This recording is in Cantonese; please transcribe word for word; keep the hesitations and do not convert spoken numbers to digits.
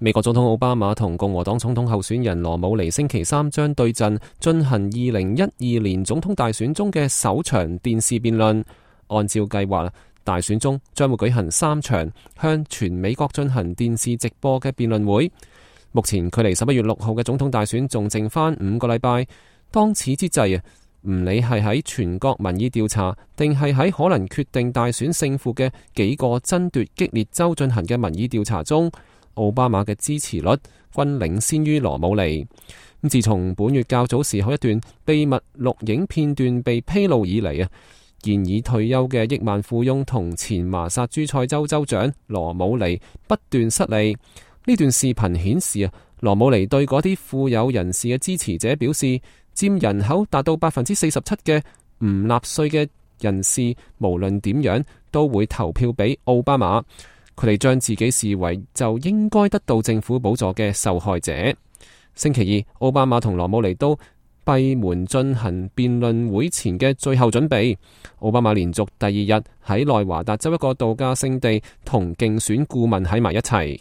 美國總統奧巴馬同共和黨總統候選人羅姆尼星期三將對陣，進行二零一二年總統大選中嘅首場電視辯論。按照計劃，大選中將會舉行三場向全美國進行電視直播嘅辯論會。目前距離十一月六號嘅總統大選仲剩翻五個禮拜。當此之際啊，唔理係喺全國民意調查，定係喺可能決定大選勝負嘅幾個爭奪激烈州進行嘅民意調查中，奧巴馬嘅支持率均領先於羅姆尼。咁自從本月較早時候一段秘密錄影片段被披露以嚟啊，現已退休嘅億萬富翁同前麻薩諸塞州州長羅姆尼不斷失利。呢段視頻顯示啊，羅姆尼對嗰啲富有人士嘅支持者表示，佔人口達到百分之四十七嘅唔納稅嘅人士，無論點樣都會投票俾奧巴馬。佢哋將自己視為就應該得到政府補助嘅受害者。星期二，奧巴馬同羅姆尼都閉門進行辯論會前嘅最後準備。奧巴馬連續第二日喺內華達州一個度假勝地同競選顧問喺埋一齊。